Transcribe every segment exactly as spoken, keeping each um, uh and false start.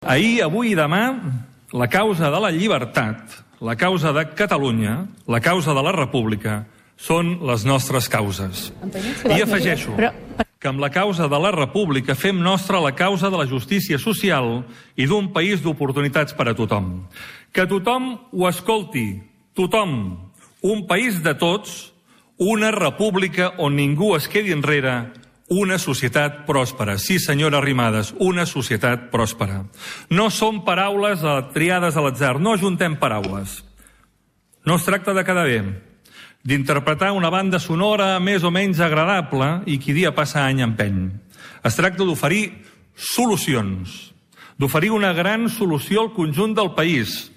Ahir, avui i demà, la causa de la llibertat, la causa de Catalunya, la causa de la República, són les nostres causes. I afegeixo que amb la causa de la República fem nostra la causa de la justícia social i d'un país d'oportunitats per a tothom. Que tothom ho escolti, tothom, un país de tots, una república on ningú es quedi enrere, una societat pròspera. Sí, senyora Arrimadas, una societat pròspera. No són paraules triades a l'atzar, no ajuntem paraules. No es tracta de quedar bé, d'interpretar una banda sonora més o menys agradable i qui dia passa any empeny. Es tracta d'oferir solucions, d'oferir una gran solució al conjunt del país.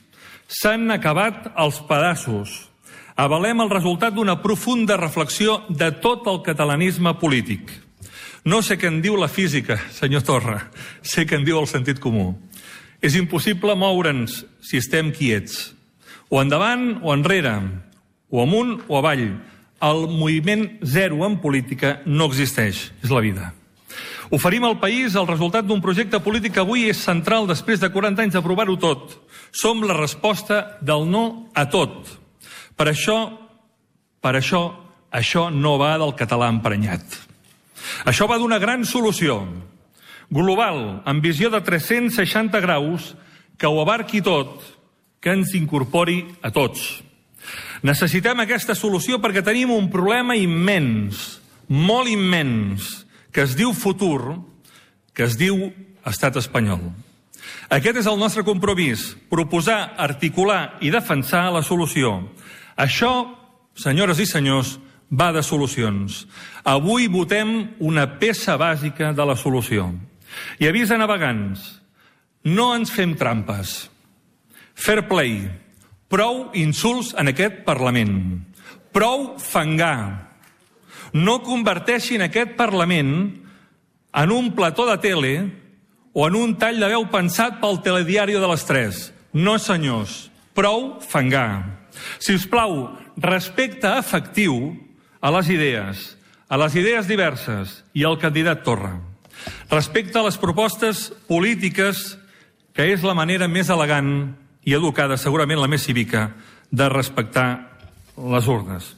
S'han acabat els pedaços. Avalem el resultat d'una profunda reflexió de tot el catalanisme polític. No sé què en diu la física, senyor Torra, sé què en diu el sentit comú. És impossible moure'ns si estem quiets. O endavant o enrere, o amunt o avall. El moviment zero en política no existeix, és la vida. Oferim al país el resultat d'un projecte polític que avui és central després de quaranta anys d'aprovar-ho tot. Som la resposta del no a tot. Per això, per això, això no va del català emprenyat. Això va d'una gran solució, global, amb visió de tres-cents seixanta graus, que ho abarqui tot, que ens incorpori a tots. Necessitem aquesta solució perquè tenim un problema immens, molt immens, que es diu futur, que es diu estat espanyol. Aquest és el nostre compromís, proposar, articular i defensar la solució. Això, senyores i senyors, va de solucions. Avui votem una peça bàsica de la solució. I avís a navegants, no ens fem trampes. Fair play. Prou insults en aquest Parlament. Prou fangar. No converteixin aquest Parlament en un plató de tele o en un tall de veu pensat pel telediari de les tres. No, senyors. Prou fangar. Si us plau, respecte efectiu a les idees, a les idees diverses i al candidat Torra. Respecte a les propostes polítiques, que és la manera més elegant i educada, segurament la més cívica, de respectar les urnes.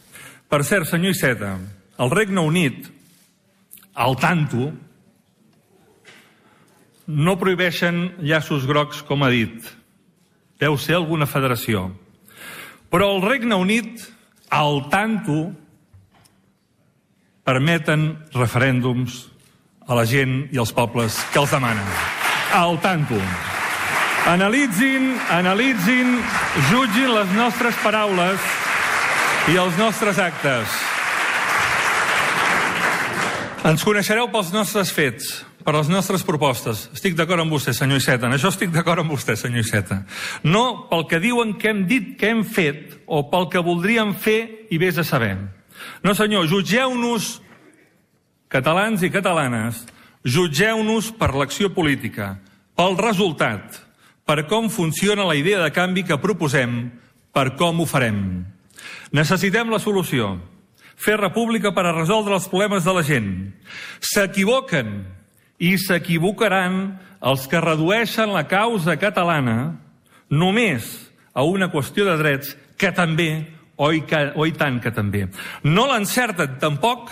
Per cert, senyor Iceta, el Regne Unit, al tanto, no prohibeixen llaços grocs, com ha dit. Deu ser alguna federació. Però el Regne Unit, al tanto, permeten referèndums a la gent i als pobles que els demanen. Al tanto. Analitzin, analitzin, jutgin les nostres paraules i els nostres actes. Ens coneixereu pels nostres fets, per les nostres propostes. Estic d'acord amb vostè, senyor Iceta. En això estic d'acord amb vostè, senyor Iceta. No pel que diuen que hem dit que hem fet o pel que voldríem fer i vés a saber. No, senyor, jutgeu-nos, catalans i catalanes, jutgeu-nos per l'acció política, pel resultat, per com funciona la idea de canvi que proposem, per com ho farem. Necessitem la solució, fer república per a resoldre els problemes de la gent. S'equivoquen i s'equivocaran els que redueixen la causa catalana només a una qüestió de drets que també Oi, que, oi tant que també. No l'encerten tampoc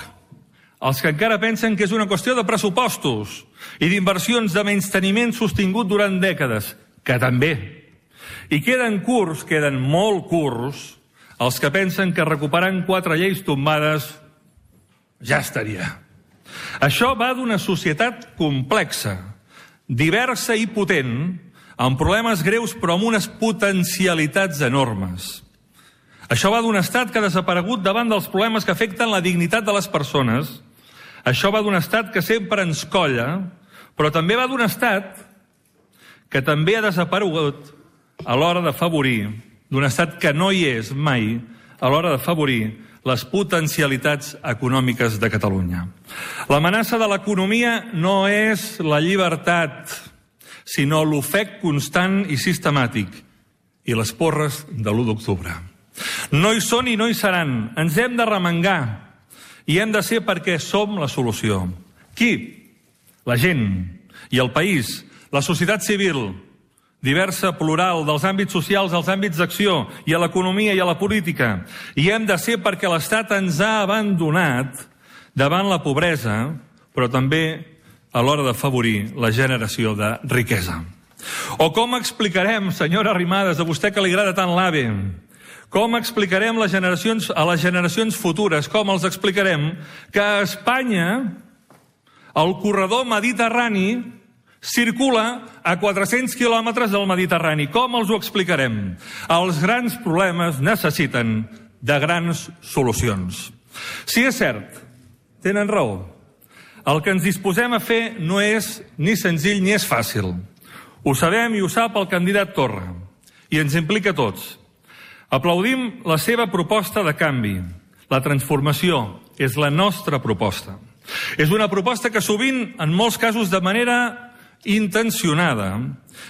els que encara pensen que és una qüestió de pressupostos i d'inversions de menysteniment sostingut durant dècades, que també. I queden curts, queden molt curts, els que pensen que recuperant quatre lleis tombades ja estaria. Això va d'una societat complexa, diversa i potent, amb problemes greus però amb unes potencialitats enormes. Això va d'un estat que ha desaparegut davant dels problemes que afecten la dignitat de les persones. Això va d'un estat que sempre ens colla, però també va d'un estat que també ha desaparegut a l'hora d'afavorir, d'un estat que no hi és mai, a l'hora d'afavorir les potencialitats econòmiques de Catalunya. L'amenaça de l'economia no és la llibertat, sinó l'ofec constant i sistemàtic i les porres de l'u d'octubre. No hi són i no hi seran. Ens hem de remengar i hem de ser perquè som la solució. Qui? La gent i el país la societat civil, diversa, plural, dels àmbits socials als àmbits d'acció, i a l'economia i a la política. I hem de ser perquè l'Estat ens ha abandonat davant la pobresa, però també a l'hora d'afavorir la generació de riquesa. O com explicarem, senyora Arrimadas, a vostè que li agrada tant l'AVE, com explicarem les generacions, a les generacions futures, com els explicarem que a Espanya el corredor mediterrani circula a quatre-cents quilòmetres del Mediterrani? Com els ho explicarem? Els grans problemes necessiten de grans solucions. Sí, és cert, tenen raó. El que ens disposem a fer no és ni senzill ni és fàcil. Ho sabem i ho sap el candidat Torra, i ens implica a tots. Aplaudim la seva proposta de canvi. La transformació és la nostra proposta. És una proposta que sovint, en molts casos de manera intencionada,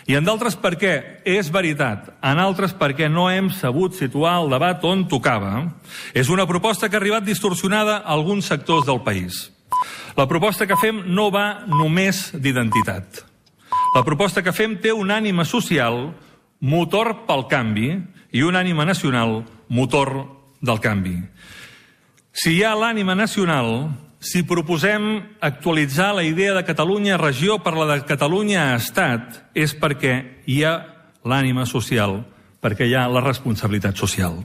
i en d'altres perquè és veritat, en altres perquè no hem sabut situar el debat on tocava, és una proposta que ha arribat distorsionada a alguns sectors del país. La proposta que fem no va només d'identitat. La proposta que fem té una ànima social, motor pel canvi, i una ànima nacional, motor del canvi. Si hi ha l'ànima nacional, si proposem actualitzar la idea de Catalunya regió per la de Catalunya estat, és perquè hi ha l'ànima social, perquè hi ha la responsabilitat social.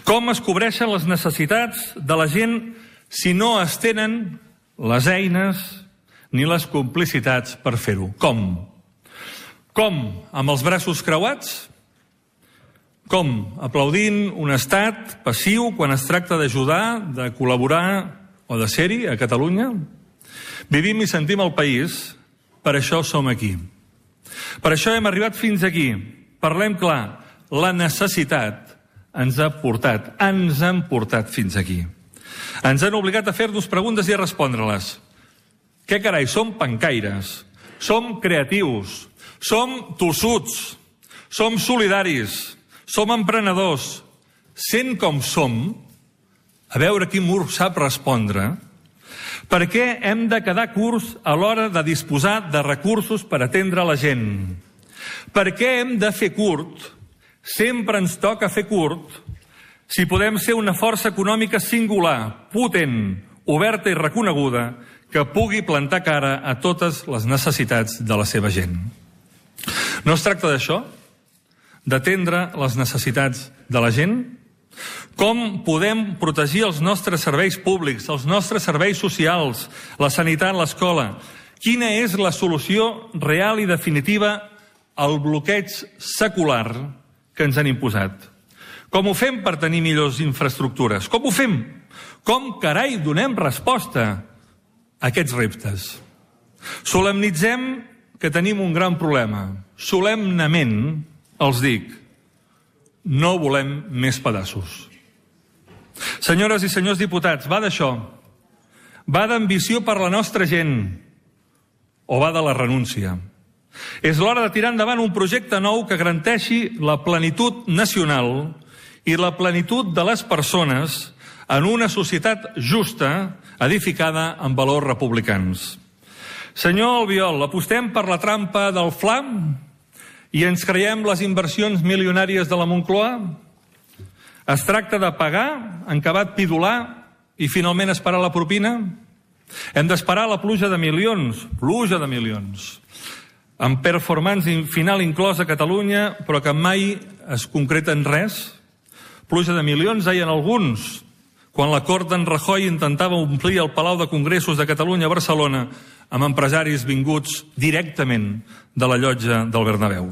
Com es cobreixen les necessitats de la gent si no es tenen les eines ni les complicitats per fer-ho? Com? Com? Amb els braços creuats? Com? Aplaudint un estat passiu quan es tracta d'ajudar, de col·laborar o de ser-hi a Catalunya? Vivim i sentim el país, per això som aquí. Per això hem arribat fins aquí. Parlem clar, la necessitat ens ha portat, ens han portat fins aquí. Ens han obligat a fer-nos preguntes i a respondre-les. Què carai, som pencaires, som creatius, som tossuts, som solidaris, som emprenedors. Sent com som, a veure quin mur sap respondre, per què hem de quedar curts a l'hora de disposar de recursos per atendre la gent? Per què hem de fer curt? Sempre ens toca fer curt si podem ser una força econòmica singular, potent, oberta i reconeguda, que pugui plantar cara a totes les necessitats de la seva gent. No es tracta d'això? D'atendre les necessitats de la gent? Com podem protegir els nostres serveis públics, els nostres serveis socials, la sanitat, l'escola? Quina és la solució real i definitiva al bloqueig secular que ens han imposat? Com ho fem per tenir millors infraestructures? Com ho fem? Com, carai, donem resposta a aquests reptes? Solemnitzem que tenim un gran problema. Solemnament els dic, no volem més pedaços. Senyores i senyors diputats, va d'això. Va d'ambició per la nostra gent o va de la renúncia? És l'hora de tirar endavant un projecte nou que garanteixi la plenitud nacional i la plenitud de les persones en una societat justa, edificada en valors republicans. Senyor Albiol, apostem per la trampa del Fla i ens creiem les inversions milionàries de la Moncloa? Es tracta de pagar, en acabat pidolar i finalment esperar la propina? Hem d'esperar la pluja de milions, pluja de milions, amb performance final inclòs a Catalunya, però que mai es concreta en res? Pluja de milions, deien alguns, quan la cort d'en Rajoy intentava omplir el Palau de Congressos de Catalunya a Barcelona amb empresaris vinguts directament de la llotja del Bernabéu.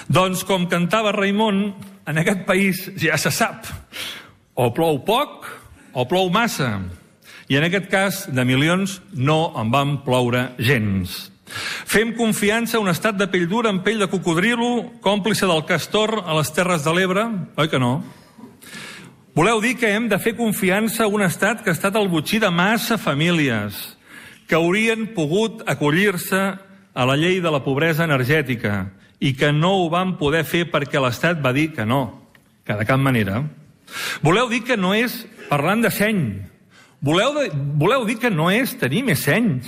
Doncs, com cantava Raimon, en aquest país ja se sap, o plou poc o plou massa, i en aquest cas de milions no en van ploure gens. Fem confiança a un estat de pell dura amb pell de cocodrilo, còmplice del castor a les Terres de l'Ebre? Oi que no? Voleu dir que hem de fer confiança a un estat que ha estat el botxí de massa famílies que haurien pogut acollir-se a la llei de la pobresa energètica i que no ho van poder fer perquè l'Estat va dir que no, que de cap manera? Voleu dir que no és parlant de seny? Voleu, de, voleu dir que no és tenir més seny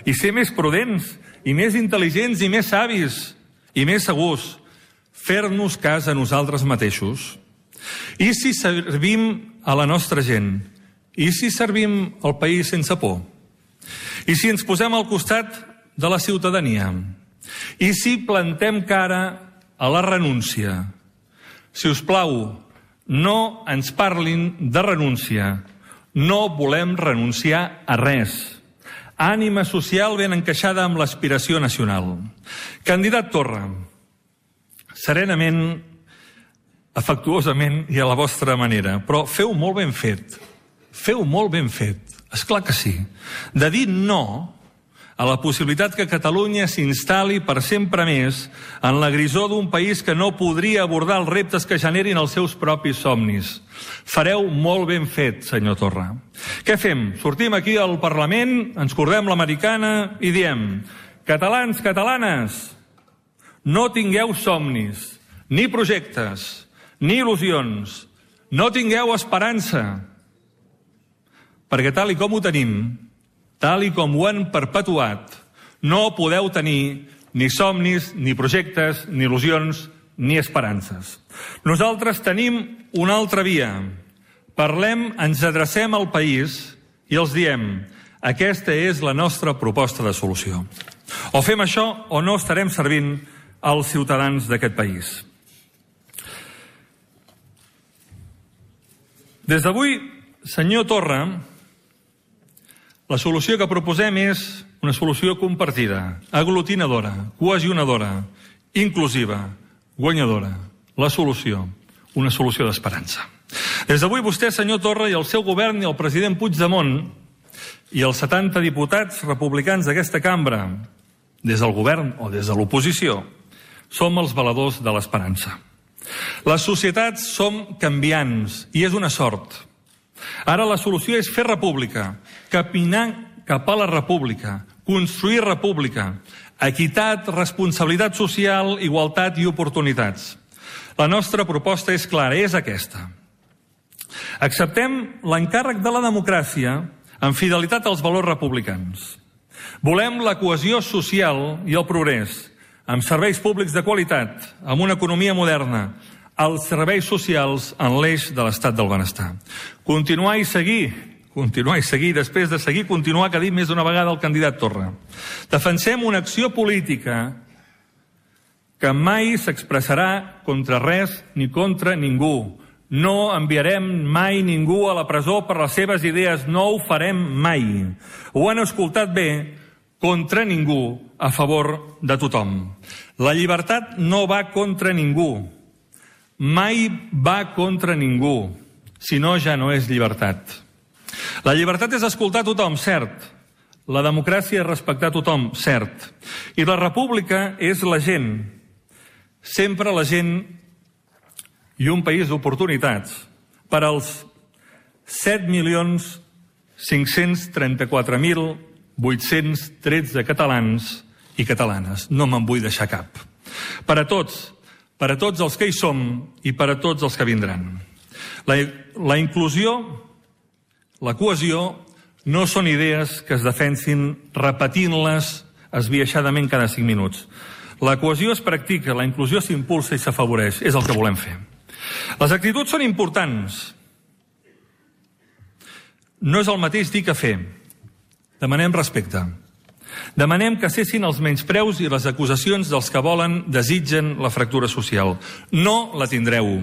i ser més prudents i més intel·ligents i més savis i més segurs, fer-nos cas a nosaltres mateixos. I si servim a la nostra gent? I si servim el país sense por? I si ens posem al costat de la ciutadania? I si plantem cara a la renúncia? Si us plau, no ens parlin de renúncia. No volem renunciar a res. Ànima social ben encaixada amb l'aspiració nacional. Candidat Torra, serenament, afectuosament i a la vostra manera, però feu molt ben fet. Feu molt ben fet. És clar que sí. De dir no a la possibilitat que Catalunya s'instal·li per sempre més en la grisor d'un país que no podria abordar els reptes que generin els seus propis somnis. Fareu molt ben fet, senyor Torra. Què fem? Sortim aquí al Parlament, ens cordem l'americana i diem: catalans, catalanes, no tingueu somnis, ni projectes, ni il·lusions, no tingueu esperança, perquè tal i com ho tenim, tal i com ho han perpetuat, no podeu tenir ni somnis, ni projectes, ni il·lusions, ni esperances. Nosaltres tenim una altra via. Parlem, ens adrecem al país i els diem: aquesta és la nostra proposta de solució. O fem això o no estarem servint als ciutadans d'aquest país. Des d'avui, senyor Torra, la solució que proposem és una solució compartida, aglutinadora, cohesionadora, inclusiva, guanyadora. La solució, una solució d'esperança. Des d'avui vostè, senyor Torra, i el seu govern i el president Puigdemont i els setanta diputats republicans d'aquesta cambra, des del govern o des de l'oposició, som els valedors de l'esperança. Les societats som canviants i és una sort. Ara la solució és fer república, caminar cap a la república, construir república, equitat, responsabilitat social, igualtat i oportunitats. La nostra proposta és clara, és aquesta. Acceptem l'encàrrec de la democràcia amb fidelitat als valors republicans. Volem la cohesió social i el progrés, amb serveis públics de qualitat, amb una economia moderna, els serveis socials en l'eix de l'estat del benestar. Continuar i seguir, continuar i seguir, després de seguir, continuar, que ha dit més d'una vegada el candidat Torra. Defensem una acció política que mai s'expressarà contra res ni contra ningú. No enviarem mai ningú a la presó per les seves idees, no ho farem mai. Ho han escoltat bé, contra ningú, a favor de tothom. La llibertat no va contra ningú. Mai va contra ningú, si no ja no és llibertat. La llibertat és escoltar tothom, cert. La democràcia és respectar tothom, cert. I la república és la gent. Sempre la gent i un país d'oportunitats per als set milions cinc-cents trenta-quatre mil vuit-cents tretze catalans i catalanes. No me'n vull deixar cap. Per a tots, per a tots els que hi som i per a tots els que vindran. La, la inclusió, la cohesió, no són idees que es defensin repetint-les esbiaixadament cada cinc minuts. La cohesió es practica, la inclusió s'impulsa i s'afavoreix. És el que volem fer. Les actituds són importants. No és el mateix dir que fer. Demanem respecte. Demanem que cessin els menyspreus i les acusacions dels que volen, desitgen la fractura social. No la tindreu.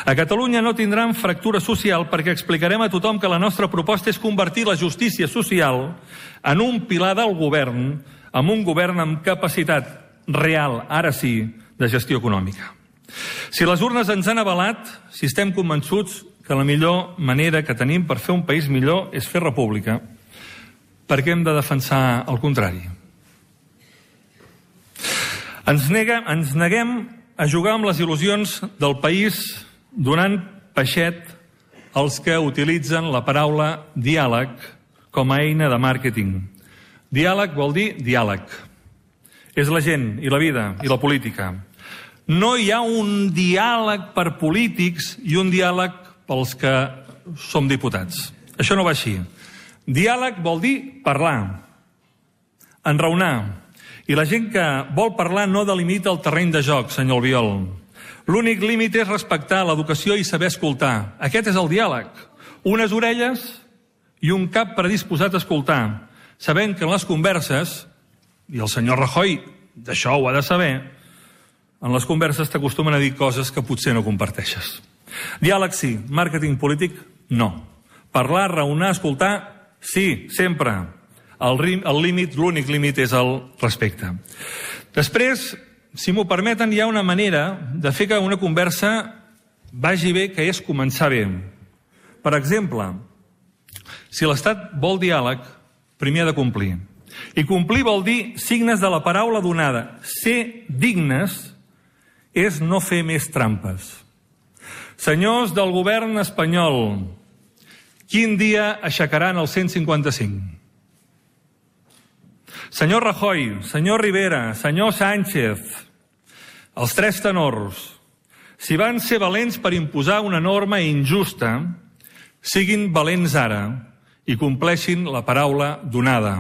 A Catalunya no tindran fractura social perquè explicarem a tothom que la nostra proposta és convertir la justícia social en un pilar del govern, amb un govern amb capacitat real, ara sí, de gestió econòmica. Si les urnes ens han avalat, si estem convençuts que la millor manera que tenim per fer un país millor és fer república, per què hem de defensar el contrari? Ens, nega, ens neguem a jugar amb les il·lusions del país donant peixet als que utilitzen la paraula diàleg com a eina de màrqueting. Diàleg vol dir diàleg. És la gent i la vida i la política. No hi ha un diàleg per polítics i un diàleg pels que som diputats. Això no va així. Diàleg vol dir parlar, enraonar. I la gent que vol parlar no delimita el terreny de joc, senyor Albiol. L'únic límit és respectar l'educació i saber escoltar. Aquest és el diàleg. Unes orelles i un cap predisposat a escoltar, sabent que en les converses, i el senyor Rajoy d'això ho ha de saber, en les converses t'acostumen a dir coses que potser no comparteixes. Diàleg sí, màrqueting polític no. Parlar, raonar, escoltar, sí, sempre. El, el límit, l'únic límit és el respecte. Després, si m'ho permeten, hi ha una manera de fer que una conversa vagi bé, que és començar bé. Per exemple, si l'Estat vol diàleg, primer ha de complir. I complir vol dir signes de la paraula donada. Ser dignes és no fer més trampes. Senyors del govern espanyol, quin dia aixecaran el cent cinquanta-cinc? Senyor Rajoy, senyor Rivera, senyor Sánchez, els tres tenors, si van ser valents per imposar una norma injusta, siguin valents ara i compleixin la paraula donada.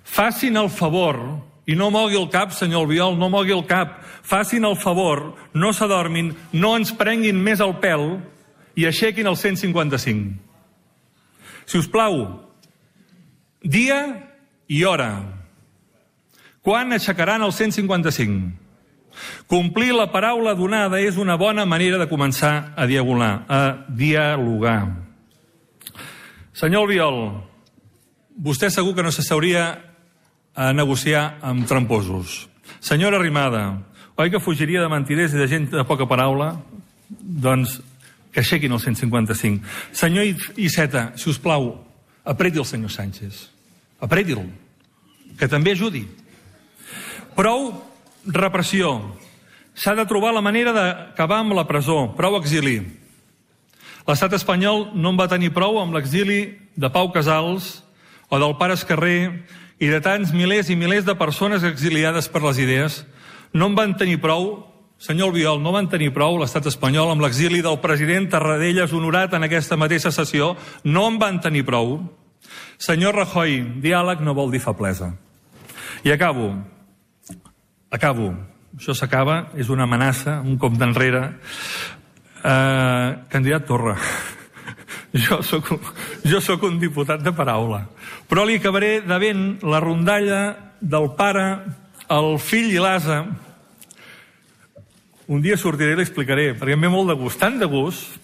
Facin el favor, i no mogui el cap, senyor Albiol, no mogui el cap, facin el favor, no s'adormin, no ens prenguin més el pèl i aixequin el cent cinquanta-cinc. Si us plau, dia i hora. Quan aixecaran el cent cinquanta-cinc? Complir la paraula donada és una bona manera de començar a dialogar. A dialogar. Senyor Albiol, vostè segur que no s'asseuria a negociar amb tramposos. Senyora Arrimadas, oi que fugiria de mentirers i de gent de poca paraula? Doncs que aixequin el cent cinquanta-cinc. Senyor Iceta, si us plau, apreti el senyor Sánchez. Apreti'l, que també ajudi. Prou repressió. S'ha de trobar la manera d'acabar amb la presó. Prou exili. L'estat espanyol no en va tenir prou amb l'exili de Pau Casals o del pare Escarrer i de tants milers i milers de persones exiliades per les idees. No en van tenir prou, senyor Albiol, no van tenir prou l'estat espanyol amb l'exili del president Tarradellas honorat en aquesta mateixa sessió. No en van tenir prou. Senyor Rajoy, diàleg no vol dir feblesa. I acabo. Acabo. Això s'acaba, és una amenaça, un cop d'enrere. Uh, candidat Torra, jo soc, jo soc un diputat de paraula, però li acabaré devent la rondalla del pare, el fill i l'ase. Un dia sortiré i l'explicaré, perquè em ve molt de gust, tant de gust,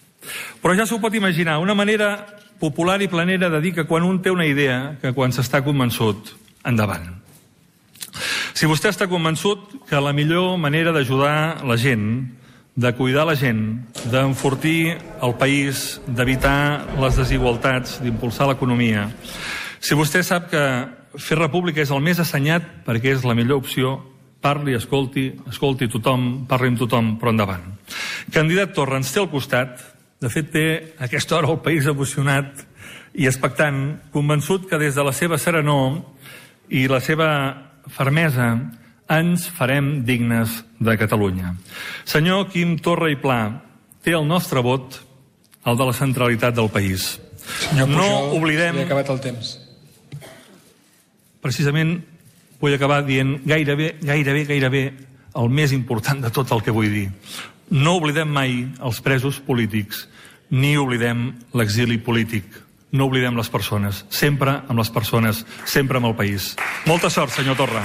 però ja s'ho pot imaginar, una manera popular i planera de dir que quan un té una idea, que quan s'està convençut, endavant. Si vostè està convençut que la millor manera d'ajudar la gent, de cuidar la gent, d'enfortir el país, d'evitar les desigualtats, d'impulsar l'economia, si vostè sap que fer república és el més assenyat perquè és la millor opció, parli, escolti, escolti tothom, parli amb tothom, però endavant. Candidat Torra ens té al costat, de fet té a aquesta hora el país emocionat i expectant, convençut que des de la seva serenor i la seva fermesa ens farem dignes de Catalunya. Senyor Quim Torra i Pla, té el nostre vot, el de la centralitat del país. Senyor Pujol, no oblidem... s'ha acabat el temps. Precisament vull acabar dient gairebé, gairebé, gairebé el més important de tot el que vull dir. No oblidem mai els presos polítics, ni oblidem l'exili polític. No oblidem les persones, sempre amb les persones, sempre amb el país. Molta sort, senyor Torra.